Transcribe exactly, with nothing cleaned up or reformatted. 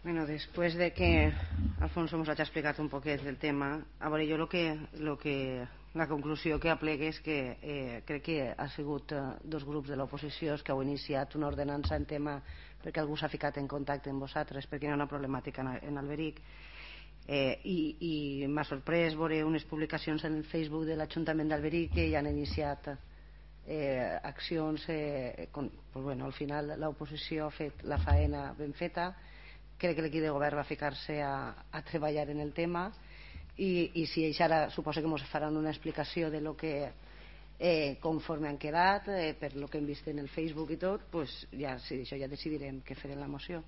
Bueno, después de que Alfonso ens hagi explicat un poquet del tema, a veure, jo lo que, lo que, la conclusió que aplegue és que eh, crec que ha sigut eh, dos grups de l'oposició els que heu iniciat una ordenança en tema perquè algú s'ha ficat en contacte amb vosaltres perquè hi ha una problemàtica en, en Alberic eh, i, i m'ha sorprès veure unes publicacions en el Facebook de l'Ajuntament d'Alberic que ja han iniciat eh, accions eh, con, pues bueno, al final l'oposició ha fet la faena ben feta. Crec que l'equip de govern va ficar-se a, a treballar en el tema i, i si ells ara suposa que ens faran una explicació de lo que eh, conforme han quedat eh, per lo que hem vist en el Facebook i tot, pues ja, sí, això ja decidirem què fer en la moció.